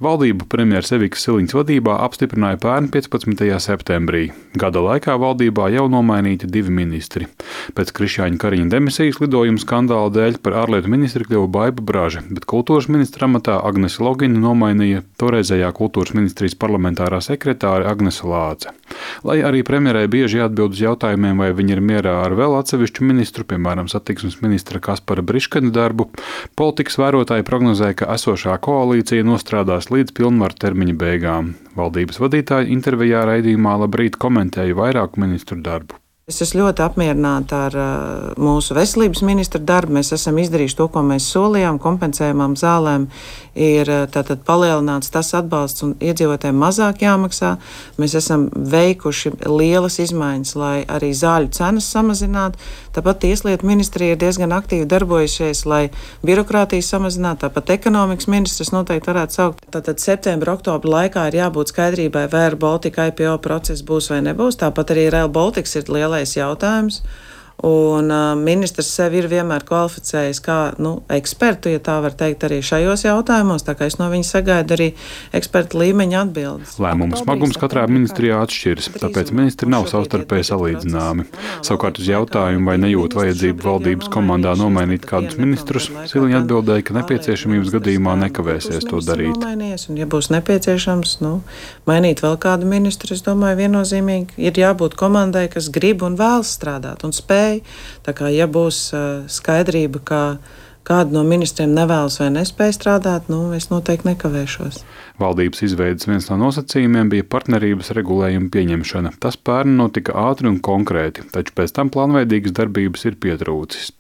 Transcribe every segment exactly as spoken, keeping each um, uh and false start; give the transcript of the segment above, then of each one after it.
Valdību premjeras Evikas Siliņas vadībā apstiprināja pērn piecpadsmitajā septembrī. Gada laikā valdībā jau nomainīti divi ministri. Pēc Krišjāņa Kariņa demisijas lidojuma skandāla dēļ par ārlietu ministri kļuva Baiba Braža, bet kultūras ministra amatā Agnese Logina nomainīja toreizējā kultūras ministrijas parlamentārā sekretāre Agnese Lāce. Lai arī premjerai bieži jāatbild uz jautājumiem, vai viņa ir mierā ar vēl atsevišķu ministru, piemēram, satiksmes ministra Kaspara Briškena darbu, politikas vērotāji prognozēja, ka esošā koalīcija nostrādās līdz pilnvaru termiņa beigām. Valdības vadītāji intervijā raidījumā Labrīt komentēja vairāku ministru darbu. Es esmu ļoti apmierināta ar uh, mūsu veselības ministra darbu. Mēs esam izdarījuši to, ko mēs solījām. Kompensējumām zālēm ir uh, tātad palielināts tas atbalsts un iedzīvotājiem mazāk jāmaksā. Mēs esam veikuši lielas izmaiņas, lai arī zāļu cenas samazinātu. Tāpat Tieslietu ministrija ir diezgan aktīvi darbojušies, lai birokrātiju samazinātu. Tāpat ekonomikas ministrs noteikti varētu saukt. Tātad septembra, oktobra laikā ir jābūt skaidrībai, vai Rail Baltica I P O process būs vai nebūs. Tāpat arī Rail Baltics ir liela jautājums, un uh, ministrs sevi ir vienmēr kvalificējis kā nu, ekspertu, ja tā var teikt, arī šajos jautājumos, tā kā es no viņa sagaidu arī eksperta līmeņa atbildes. Lēmumu smagums katrā ministrijā atšķiras, tāpēc ministri nav savstarpēji salīdzināmi. Savukārt uz jautājumu, vai nejūt vajadzību valdības komandā nomainīt kādus ministrus, Siliņa atbildēja, ka nepieciešamības gadījumā nekavēsies to darīt. Un, ja būs nepieciešams nu, mainīt vēl kādu ministru, es domāju, viennozīmīgi ir jābūt komandai, kas grib un vēlas strādāt un spēj. Tā kā, ja būs uh, skaidrība, ka kādu no ministriem nevēlas vai nespēj strādāt, nu, es noteikti nekavēšos. Valdības izveides viens no nosacījumiem bija partnerības regulējuma pieņemšana. Tas pērn notika ātri un konkrēti, taču pēc tam plānveidīgas darbības ir pietrūcis.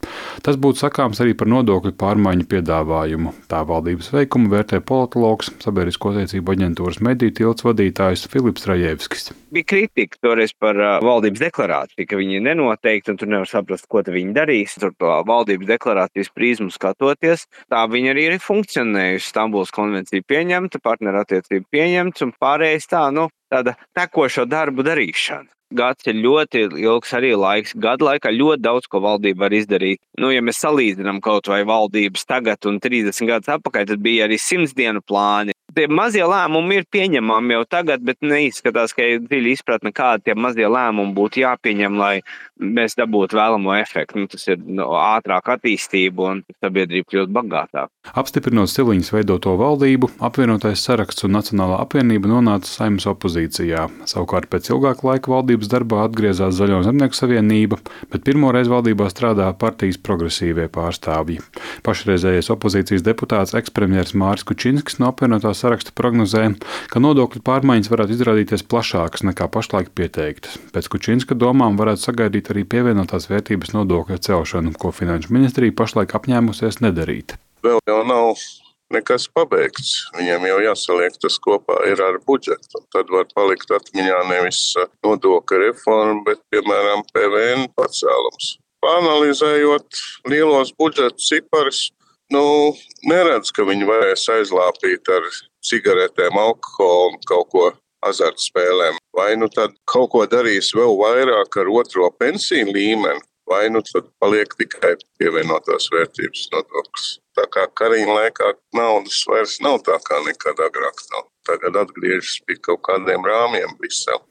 Tas būtu sakāms arī par nodokļu pārmaiņu piedāvājumu. Tā valdības veikumu vērtē politologs, sabiedrisko attiecību aģentūras mediju tilts vadītājs Filips Rajevskis. Bija kritika toreiz par uh, valdības deklarāciju, ka viņi ir nenoteikti un tur nevar saprast, ko viņi darīs. Tur to valdības deklarācijas prizmu skatoties, tā viņa arī ir funkcionējusi. Stambulas konvencija pieņemta, partnerattiecība pieņemts un pārējais tā, nu, tāda tekošo darbu darīšana. Gads ir ļoti ilgs arī laiks. Gada laikā ļoti daudz, ko valdība var izdarīt. Nu, ja mēs salīdzinām kaut vai valdības tagad un trīsdesmit gadus atpakaļ, tad bija arī simts dienu plāni. Tie mazie lēmumi ir pieņemami jau tagad, bet neizskatās, ka ir dziļi izpratne, kādi tie mazie lēmumi būtu jāpieņem, lai mēs dabūtu vēlamo efektu. Nu, tas ir no, ātrāk attīstība un sabiedrība kļūt bagātāk. Apstiprinot Siliņas veidoto valdību, apvienotais saraksts un Nacionālā apvienība nonāca Saeimas opozīcijā. Savukārt pēc ilgāka laika valdības darbā atgriezās Zaļo zemnieku savienība, bet pirmoreiz valdībā strādā partijas progresīvie pārstāvji. Pašreizējais opozīcijas deputāts ekspremjers Māris Kučinskis no apvienotā saraksta prognozē, ka nodokļu pārmaiņas varētu izrādīties plašākas nekā pašlaik pieteiktas. Pēc Kučinska domām varētu sagaidīt arī pievienotās vērtības nodokļa celšanu, ko Finanšu ministrija pašlaik apņēmusies nedarīt. Vēl jau nav nekas pabeigts. Viņam jau jāsaliek tas kopā ir ar budžetu. Tad var palikt atmiņā nevis nodokļu reforma, bet, piemēram, P V N pacēlums. Pāanalizējot lielos budžeta ciparus, nu, neredz, ka viņi varēs aizlāpīt ar cigaretēm, alkoholu un kaut ko azartspēlēm. Vai nu tad kaut ko darīs vēl vairāk ar otro pensiju līmeni, vai nu tad paliek tikai pievienotās vērtības nodoklis. Tā kā Kariņa laikā naudas vairs nav tā kā nekad agrāk nav. Tagad atgriežas pie kaut kādiem rāmjiem Brisele.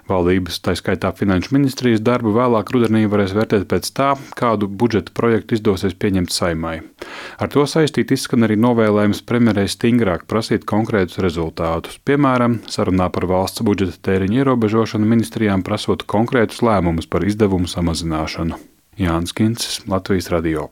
Valdības, tā skaitā Finanšu ministrijas darbu vēlāk rudenī varēs vērtēt pēc tā, kādu budžeta projektu izdosies pieņemt Saeimai. Ar to saistīt izskan arī novēlējums premjerei stingrāk prasīt konkrētus rezultātus. Piemēram, sarunā par valsts budžeta tēriņu ierobežošanu ministrijām prasot konkrētus lēmumus par izdevumu samazināšanu. Jānis Kincis, Latvijas radio.